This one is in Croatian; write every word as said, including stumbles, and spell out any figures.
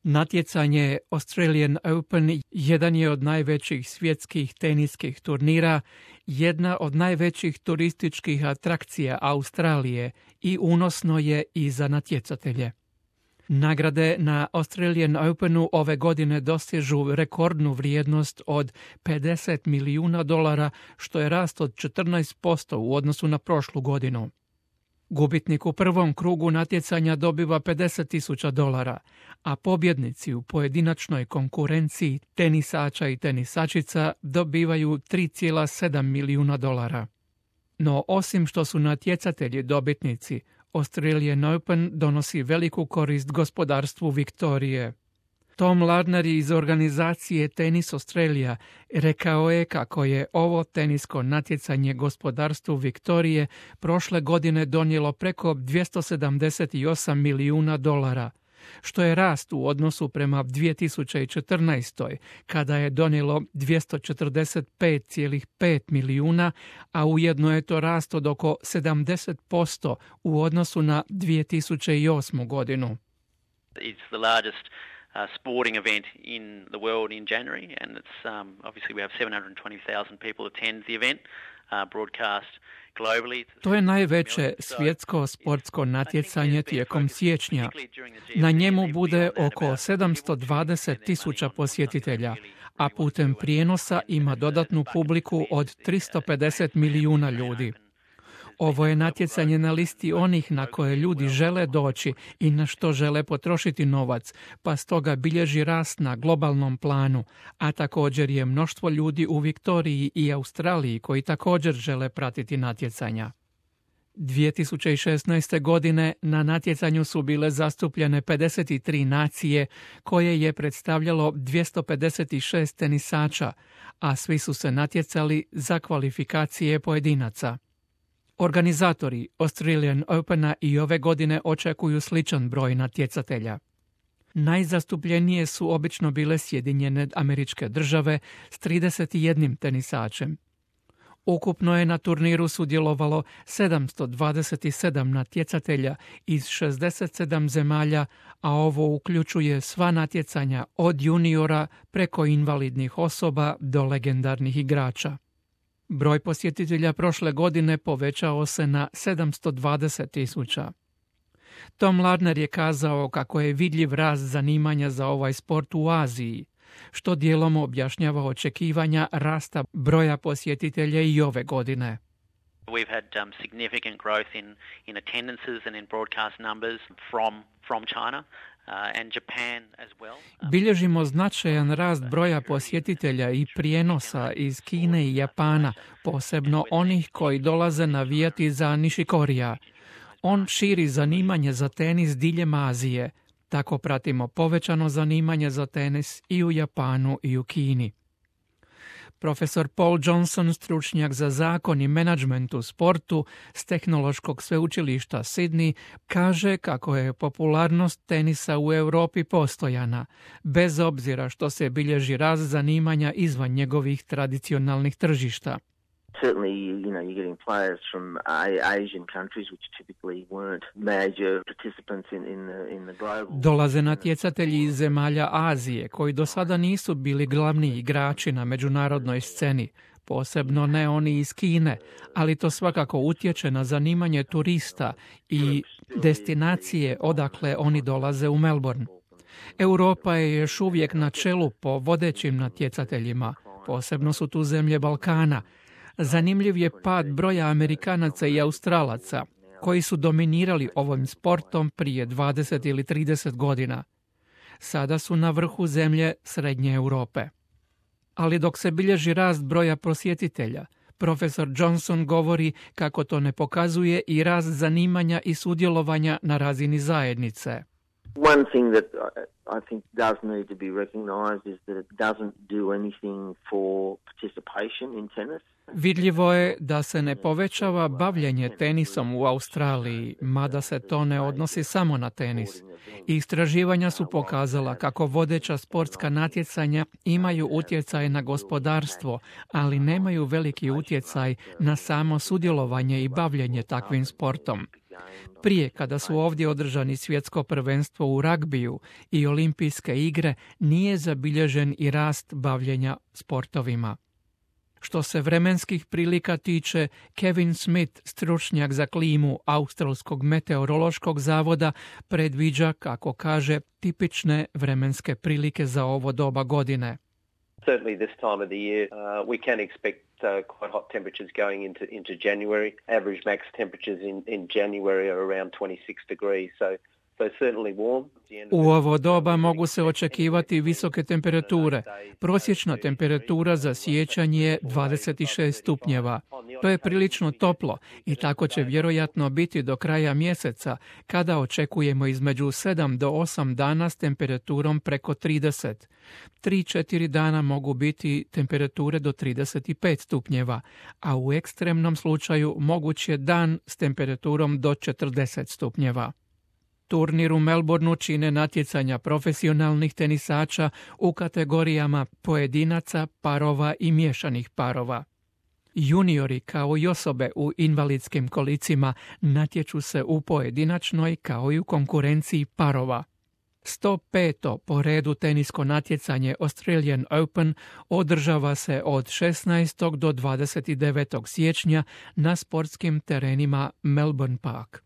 Natjecanje Australian Open jedan je od najvećih svjetskih teniskih turnira, jedna od najvećih turističkih atrakcija Australije i unosno je i za natjecatelje. Nagrade na Australian Openu ove godine dostižu rekordnu vrijednost od pedeset milijuna dolara, što je rast od četrnaest posto u odnosu na prošlu godinu. Gubitnik u prvom krugu natjecanja dobiva pedeset tisuća dolara, a pobjednici u pojedinačnoj konkurenciji tenisača i tenisačica dobivaju tri zarez sedam milijuna dolara. No osim što su natjecatelji dobitnici, Australian Open donosi veliku korist gospodarstvu Viktorije. Tom Lardner iz organizacije Tennis Australia rekao je kako je ovo tenisko natjecanje gospodarstvu Viktorije prošle godine donijelo preko dvjesto sedamdeset osam milijuna dolara, što je rast u odnosu prema dvije tisuće četrnaestoj. kada je donijelo dvjesto četrdeset pet zarez pet milijuna, a ujedno je to rast od oko sedamdeset posto u odnosu na dvije tisuće osmu. godinu. It's the largest Uh, sporting event in the world in January, and it's um, obviously we have seven hundred twenty thousand people attend the event, uh, broadcast globally. To je najveće svjetsko sportsko natjecanje tijekom siječnja. Na njemu bude oko sedamsto dvadeset tisuća posjetitelja, a putem prijenosa ima dodatnu publiku od tristo pedeset milijuna ljudi. Ovo je natjecanje na listi onih na koje ljudi žele doći i na što žele potrošiti novac, pa stoga bilježi rast na globalnom planu, a također je mnoštvo ljudi u Viktoriji i Australiji koji također žele pratiti natjecanja. dvije tisuće šesnaeste. godine na natjecanju su bile zastupljene pedeset tri nacije koje je predstavljalo dvjesto pedeset šest tenisača, a svi su se natjecali za kvalifikacije pojedinaca. Organizatori Australian Opena i ove godine očekuju sličan broj natjecatelja. Najzastupljenije su obično bile Sjedinjene Američke Države s trideset jedan tenisačem. Ukupno je na turniru sudjelovalo sedamsto dvadeset sedam natjecatelja iz šezdeset sedam zemalja, a ovo uključuje sva natjecanja od juniora preko invalidnih osoba do legendarnih igrača. Broj posjetitelja prošle godine povećao se na sedamsto dvadeset tisuća. Tom Lardner je kazao kako je vidljiv rast zanimanja za ovaj sport u Aziji, što dijelom objašnjava očekivanja rasta broja posjetitelja i ove godine. We've had um, significant growth in, in attendances and in broadcast numbers from, from China. Uh, and Japan as well. Bilježimo značajan rast broja posjetitelja i prijenosa iz Kine i Japana, posebno onih koji dolaze navijati za Nishikorija. On širi zanimanje za tenis diljem Azije. Tako pratimo povećano zanimanje za tenis i u Japanu i u Kini. Profesor Paul Johnson, stručnjak za zakon i menadžment u sportu s Tehnološkog sveučilišta Sydney, kaže kako je popularnost tenisa u Europi postojana, bez obzira što se bilježi rast zanimanja izvan njegovih tradicionalnih tržišta. Certainly, you know, you're getting players from Asian countries which typically weren't major participants in, in, the, in the global. Dolaze natjecatelji iz zemalja Azije koji do sada nisu bili glavni igrači na međunarodnoj sceni, posebno ne oni iz Kine, ali to svakako utječe na zanimanje turista i destinacije odakle oni dolaze u Melbourne. Europa je još uvijek na čelu po vodećim natjecateljima, posebno su tu zemlje Balkana. Zanimljiv je pad broja Amerikanaca i Australaca, koji su dominirali ovim sportom prije dvadeset ili trideset godina. Sada su na vrhu zemlje Srednje Europe. Ali dok se bilježi rast broja posjetitelja, profesor Johnson govori kako to ne pokazuje i rast zanimanja i sudjelovanja na razini zajednice. One thing that I think does need to be recognized is that it doesn't do anything for participation in tennis. Vidljivo je da se ne povećava bavljenje tenisom u Australiji, mada se to ne odnosi samo na tenis. Istraživanja su pokazala kako vodeća sportska natjecanja imaju utjecaj na gospodarstvo, ali nemaju veliki utjecaj na samo sudjelovanje i bavljenje takvim sportom. Prije, kada su ovdje održani svjetsko prvenstvo u ragbiju i olimpijske igre, nije zabilježen i rast bavljenja sportovima. Što se vremenskih prilika tiče, Kevin Smith, stručnjak za klimu Australskog meteorološkog zavoda, predviđa, kako kaže, tipične vremenske prilike za ovo doba godine. Certainly this time of the year, uh, we can expect uh, quite hot temperatures going into into January. Average max temperatures in, in January are around twenty-six degrees, so so certainly warm. U ovo doba mogu se očekivati visoke temperature. Prosječna temperatura za siječanj je dvadeset šest stupnjeva. To je prilično toplo i tako će vjerojatno biti do kraja mjeseca, kada očekujemo između sedam do osam dana s temperaturom preko trideset. tri do četiri dana mogu biti temperature do trideset pet stupnjeva, a u ekstremnom slučaju moguć je dan s temperaturom do četrdeset stupnjeva. Turnir u Melbourneu čine natjecanja profesionalnih tenisača u kategorijama pojedinaca, parova i miješanih parova. Juniori kao i osobe u invalidskim kolicima natječu se u pojedinačnoj kao i u konkurenciji parova. sto peto po redu tenisko natjecanje Australian Open održava se od šesnaestog do dvadeset devetog siječnja na sportskim terenima Melbourne Park.